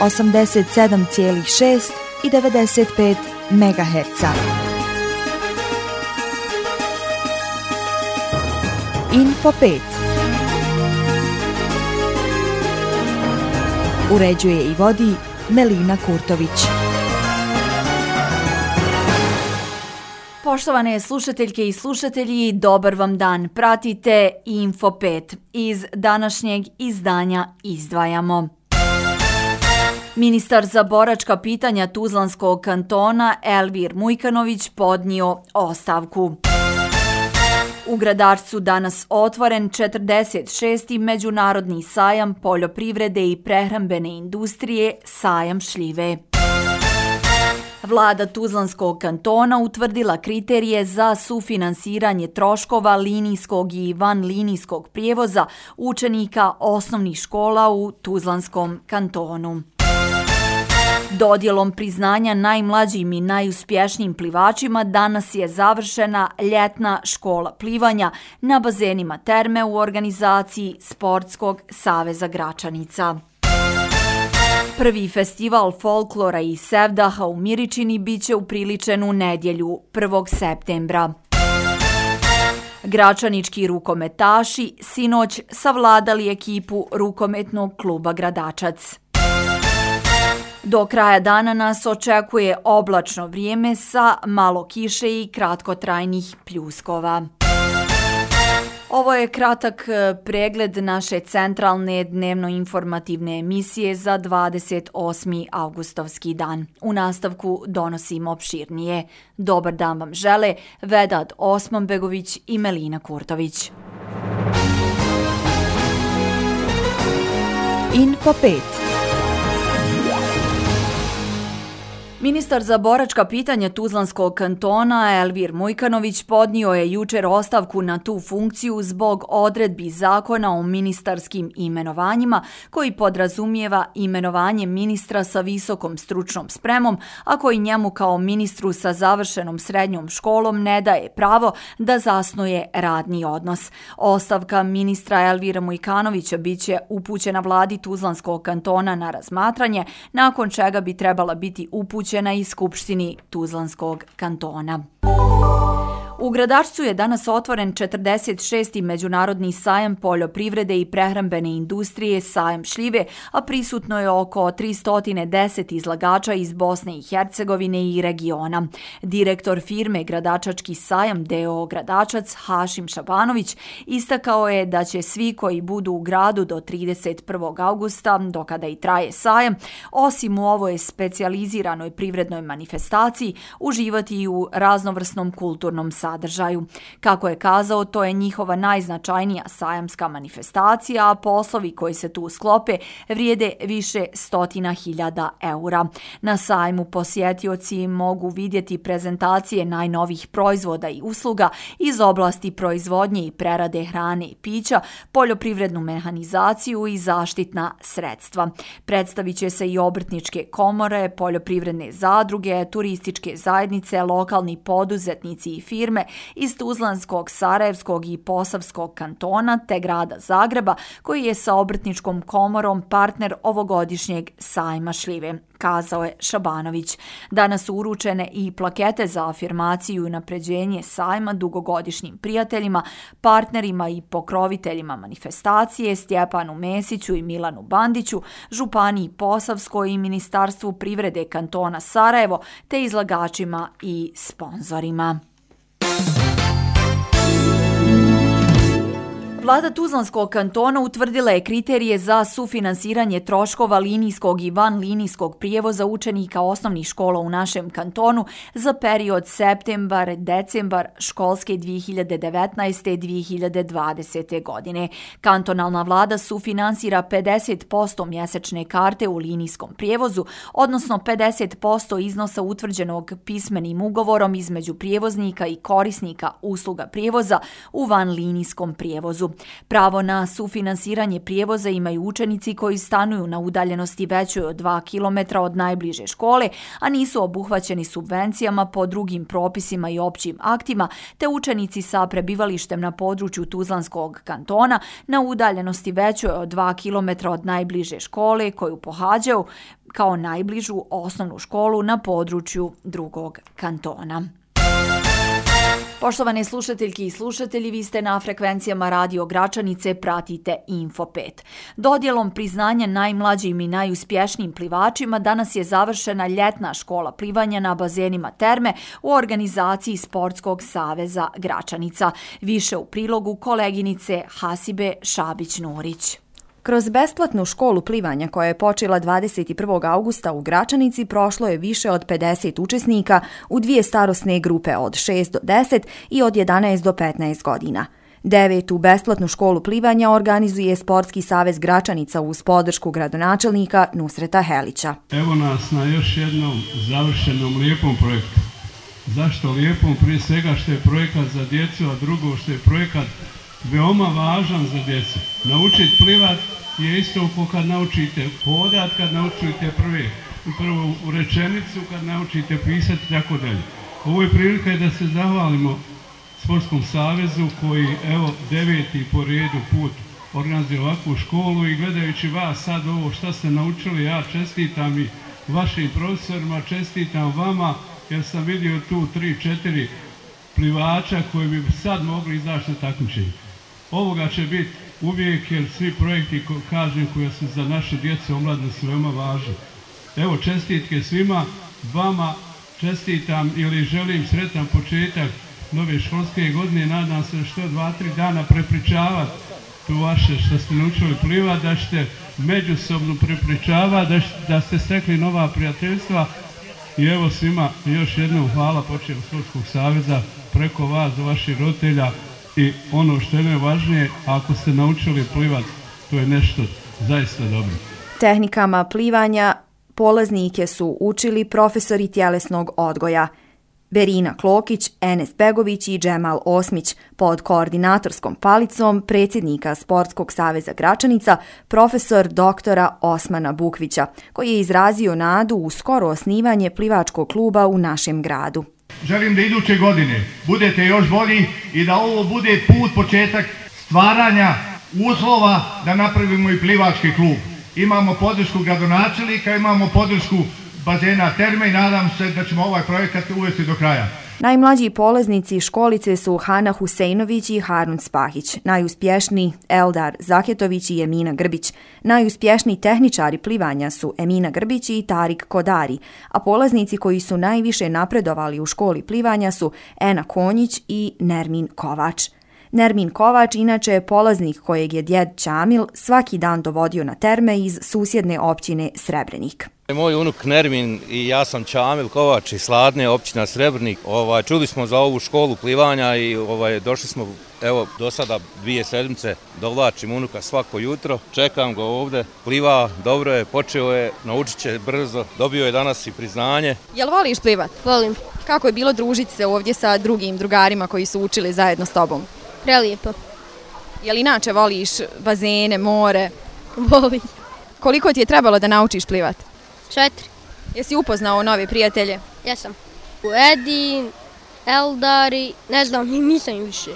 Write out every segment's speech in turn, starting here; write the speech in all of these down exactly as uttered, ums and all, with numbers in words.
osamdeset sedam zarez šest i devedeset pet megaherca. Info pet. Uređuje i vodi Melina Kurtović. Poštovane slušateljke i slušatelji, dobar vam dan. Pratite Info pet. Iz današnjeg izdanja izdvajamo. Ministar za boračka pitanja Tuzlanskog kantona Elvir Mujkanović podnio ostavku. U Gradarcu danas otvoren četrdeset šesti Međunarodni sajam poljoprivrede i prehrambene industrije Sajam šljive. Vlada Tuzlanskog kantona utvrdila kriterije za sufinansiranje troškova linijskog i vanlinijskog prijevoza učenika osnovnih škola u Tuzlanskom kantonu. Dodjelom priznanja najmlađim i najuspješnijim plivačima danas je završena ljetna škola plivanja na bazenima Terme u organizaciji Sportskog saveza Gračanica. Prvi festival folklora i sevdaha u Miričini biće upriličen u nedjelju prvog septembra. Gračanički rukometaši sinoć savladali ekipu rukometnog kluba Gradačac. Do kraja dana nas očekuje oblačno vrijeme sa malo kiše i kratkotrajnih pljuskova. Ovo je kratak pregled naše centralne dnevno-informativne emisije za dvadeset osmi avgustovski dan. U nastavku donosimo opširnije. Dobar dan vam žele Vedad Osmanbegović i Melina Kurtović. Info pet. Ministar za boračka pitanja Tuzlanskog kantona Elvir Mujkanović podnio je jučer ostavku na tu funkciju zbog odredbi zakona o ministarskim imenovanjima koji podrazumijeva imenovanje ministra sa visokom stručnom spremom, a koji njemu kao ministru sa završenom srednjom školom ne daje pravo da zasnuje radni odnos. Ostavka ministra Elvira Mujkanovića biće upućena vladi Tuzlanskog kantona na razmatranje, nakon čega bi trebala biti upućena i Skupštini Tuzlanskog kantona. U Gradarcu je danas otvoren četrdeset šesti Međunarodni sajam poljoprivrede i prehrambene industrije Sajam šljive, a prisutno je oko tristo deset izlagača iz Bosne i Hercegovine i regiona. Direktor firme Gradačački sajam d o o Gradačac Hašim Šabanović istakao je da će svi koji budu u gradu do trideset prvog avgusta, do kada i traje sajam, osim u ovoj specijaliziranoj privrednoj manifestaciji, uživati i u raznovrsnom kulturnom sajmu. Sadržaju. Kako je kazao, to je njihova najznačajnija sajamska manifestacija, a poslovi koji se tu sklope vrijede više stotina hiljada eura. Na sajmu posjetioci mogu vidjeti prezentacije najnovih proizvoda i usluga iz oblasti proizvodnje i prerade hrane i pića, poljoprivrednu mehanizaciju i zaštitna sredstva. Predstavit će se i obrtničke komore, poljoprivredne zadruge, turističke zajednice, lokalni poduzetnici i firme iz Tuzlanskog, Sarajevskog i Posavskog kantona te grada Zagreba, koji je sa obrtničkom komorom partner ovogodišnjeg sajma šljive, kazao je Šabanović. Danas su uručene i plakete za afirmaciju i unapređenje sajma dugogodišnjim prijateljima, partnerima i pokroviteljima manifestacije Stjepanu Mesiću i Milanu Bandiću, Županiji Posavskoj i Ministarstvu privrede kantona Sarajevo te izlagačima i sponzorima. Vlada Tuzlanskog kantona utvrdila je kriterije za sufinansiranje troškova linijskog i vanlinijskog prijevoza učenika osnovnih škola u našem kantonu za period septembar-decembar školske dvije hiljade devetnaeste dvije hiljade dvadesete. godine. Kantonalna vlada sufinansira pedeset posto mjesečne karte u linijskom prijevozu, odnosno pedeset posto iznosa utvrđenog pismenim ugovorom između prijevoznika i korisnika usluga prijevoza u vanlinijskom prijevozu. Pravo na sufinansiranje prijevoza imaju učenici koji stanuju na udaljenosti većoj od dva kilometra od najbliže škole, a nisu obuhvaćeni subvencijama po drugim propisima i općim aktima, te učenici sa prebivalištem na području Tuzlanskog kantona na udaljenosti većoj od dva kilometra od najbliže škole koju pohađaju kao najbližu osnovnu školu na području drugog kantona. Poštovane slušateljke i slušatelji, vi ste na frekvencijama Radio Gračanice, pratite Info pet. Dodjelom priznanja najmlađim i najuspješnijim plivačima danas je završena ljetna škola plivanja na bazenima Terme u organizaciji Sportskog saveza Gračanica. Više u prilogu koleginice Hasibe Šabić-Nurić. Kroz besplatnu školu plivanja koja je počela dvadeset prvog augusta u Gračanici prošlo je više od pedeset učesnika u dvije starosne grupe od šest do deset i od jedanaest do petnaest godina. Devetu besplatnu školu plivanja organizuje Sportski savez Gračanica uz podršku gradonačelnika Nusreta Helića. Evo nas na još jednom završenom lijepom projektu. Zašto lijepom? Prije svega što je projekat za djecu, a drugo što je projekat veoma važan za djecu. Naučiti plivat je isto kao kad naučite hodat, kad naučite prve, prvu rečenicu, kad naučite pisati i tako dalje. Ovo je prilika da se zahvalimo Sportskom savezu koji evo deveti po redu put organizuje ovakvu školu i gledajući vas sad ovo šta ste naučili, ja čestitam i vašim profesorima, čestitam vama jer sam vidio tu tri, četiri plivača koji bi sad mogli izaći na takmičenje. Ovoga će biti uvijek jer svi projekti, kažem, koji su za naše djece omladine su veoma važni. Evo čestitke svima, vama čestitam ili želim sretan početak nove školske godine, nadam se što dva, tri dana prepričavati tu vaše što ste naučili plivati, da ćete međusobno prepričavati, da, da ste stekli nova prijateljstva i evo svima još jednom hvala počeo Sportskog saveza preko vas, do vaših roditelja i ono što je najvažnije, ako ste naučili plivati, to je nešto zaista dobro. Tehnikama plivanja polaznike su učili profesori tjelesnog odgoja Berina Klokić, Enes Begović i Džemal Osmić pod koordinatorskom palicom predsjednika Sportskog saveza Gračanica, profesor doktora Osmana Bukvića, koji je izrazio nadu u skoro osnivanje plivačkog kluba u našem gradu. Želim da iduće godine budete još bolji i da ovo bude put, početak stvaranja uslova da napravimo i plivački klub. Imamo podršku gradonačelnika, imamo podršku bazena Terme i nadam se da ćemo ovaj projekat uvesti do kraja. Najmlađi polaznici školice su Hana Huseinović i Harun Spahić, najuspješniji Eldar Zaketović i Emina Grbić. Najuspješniji tehničari plivanja su Emina Grbić i Tarik Kodari, a polaznici koji su najviše napredovali u školi plivanja su Ena Konjić i Nermin Kovač. Nermin Kovač inače je polaznik kojeg je djed Čamil svaki dan dovodio na Terme iz susjedne općine Srebrenik. Moj unuk Nermin i ja sam Čamil Kovač iz Sladne, općina Srebrnik. Ovaj, čuli smo za ovu školu plivanja i ovaj, došli smo, evo, do sada dvije sedmice, dovlačim unuka svako jutro. Čekam ga ovdje, pliva, dobro je, počeo je, naučit će brzo, dobio je danas i priznanje. Jel voliš plivat? Volim. Kako je bilo družiti se ovdje sa drugim drugarima koji su učili zajedno s tobom? Prelijepo. Jel inače voliš bazene, more? Volim. Koliko ti je trebalo da naučiš plivat? Četiri. Jesi upoznao nove prijatelje? Jesam. Edin, Eldari, ne znam, nisam više.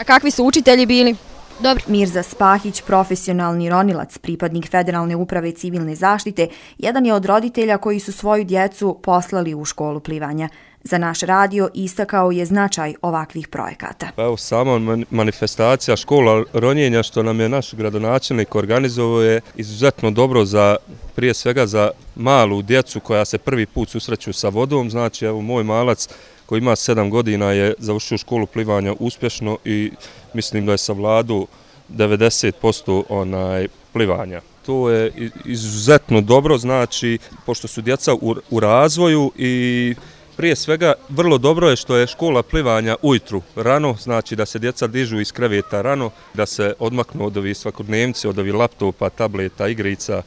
A kakvi su učitelji bili? Dobri. Mirza Spahić, profesionalni ronilac, pripadnik Federalne uprave civilne zaštite, jedan je od roditelja koji su svoju djecu poslali u školu plivanja. Za naš radio istakao je značaj ovakvih projekata. Pa evo, sama manifestacija škola ronjenja što nam je naš gradonačelnik organizovao je izuzetno dobro za, prije svega za malu djecu koja se prvi put susreću sa vodom. Znači, evo, moj malac koji ima sedam godina je završio školu plivanja uspješno i mislim da je savladao devedeset posto onaj plivanja. To je izuzetno dobro, znači, pošto su djeca u, u razvoju i prije svega vrlo dobro je što je škola plivanja ujutru rano, znači da se djeca dižu iz kreveta rano, da se odmaknu od ovih svakodnevnice, od ovih laptopa, tableta, igrica.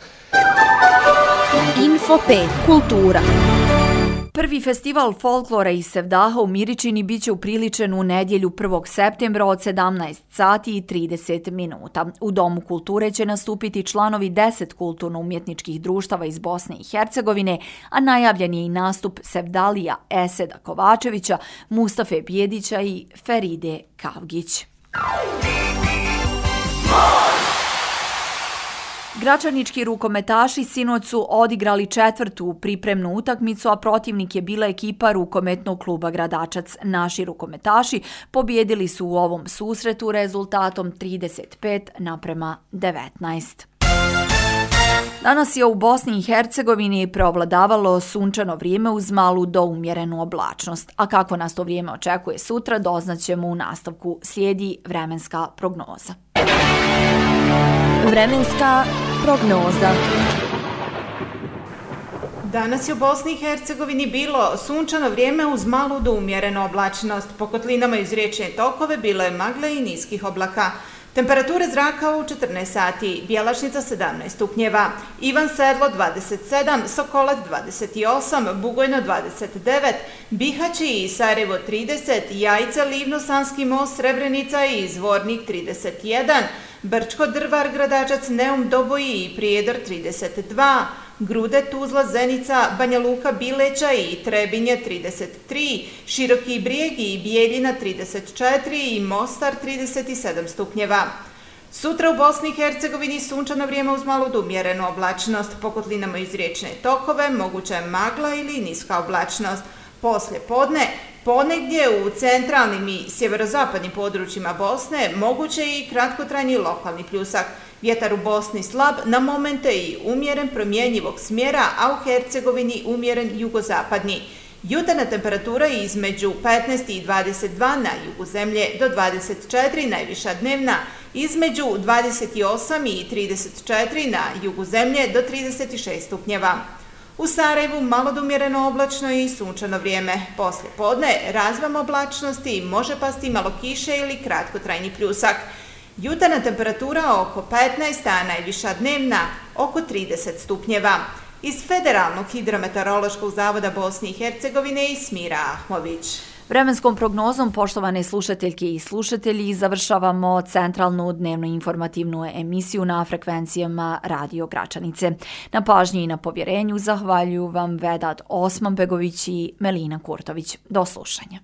Info pet. Kultura. Prvi festival folklora iz Sevdaha u Miričini biće upriličen u nedjelju prvog septembra od sedamnaest sati i trideset minuta. U Domu kulture će nastupiti članovi deset kulturno-umjetničkih društava iz Bosne i Hercegovine, a najavljen je i nastup Sevdalija Eseda Kovačevića, Mustafe Bjedića i Feride Kavgić. Gračanički rukometaši sinoć su odigrali četvrtu pripremnu utakmicu, a protivnik je bila ekipa rukometnog kluba Gradačac. Naši rukometaši pobjedili su u ovom susretu rezultatom trideset pet naprema devetnaest. Danas je u Bosni i Hercegovini preovladavalo sunčano vrijeme uz malu do umjerenu oblačnost. A kako nas to vrijeme očekuje sutra, doznaćemo u nastavku. Slijedi vremenska prognoza. Vremenska prognoza. Danas je u Bosni i Hercegovini bilo sunčano vrijeme uz malu do umjerenu oblačnost. Po kotlinama iz riječne tokove bilo je magle i niskih oblaka. Temperature zraka u četrnaest sati, Bjelašnica sedamnaest stupnjeva, Ivan Sedlo dvadeset sedam, Sokolac dvadeset osam, Bugojno dvadeset devet, Bihać i Sarajevo trideset, Jajce, Livno, Sanski most, Srebrenica i Zvornik trideset jedan, Brčko, Drvar, Gradačac, Neum, Doboji i Prijedor trideset dva, Grude, Tuzla, Zenica, Banja Luka, Bileća i Trebinje trideset tri, Široki Brijeg i Bijeljina trideset četiri i Mostar trideset sedam stupnjeva. Sutra u Bosni i Hercegovini sunčano vrijeme uz malu do umjerenu oblačnost, po kotlinama iz riječne tokove, moguća je magla ili niska oblačnost. Poslje podne, ponegdje u centralnim i sjeverozapadnim područjima Bosne moguće je i kratkotrajni lokalni pljusak. Vjetar u Bosni slab, na momente i umjeren promjenjivog smjera, a u Hercegovini umjeren jugozapadni. Jutarnja temperatura između petnaest i dvadeset dva na jugu zemlje do dvadeset četiri, najviša dnevna, između dvadeset osam i trideset četiri na jugu zemlje do trideset šest stupnjeva. U Sarajevu malo do umjereno oblačno i sunčano vrijeme. Poslije podne razvam oblačnosti, može pasti malo kiše ili kratkotrajni pljusak. Jutarnja temperatura oko petnaest, a najviša dnevna oko trideset stupnjeva. Iz Federalnog hidrometeorološkog zavoda Bosne i Hercegovine Smira Ahmović. Vremenskom prognozom, poštovane slušateljke i slušatelji, završavamo centralnu dnevno informativnu emisiju na frekvencijama Radio Gračanice. Na pažnji i na povjerenju zahvaljuju vam Vedat Osmanbegović i Melina Kurtović. Do slušanja.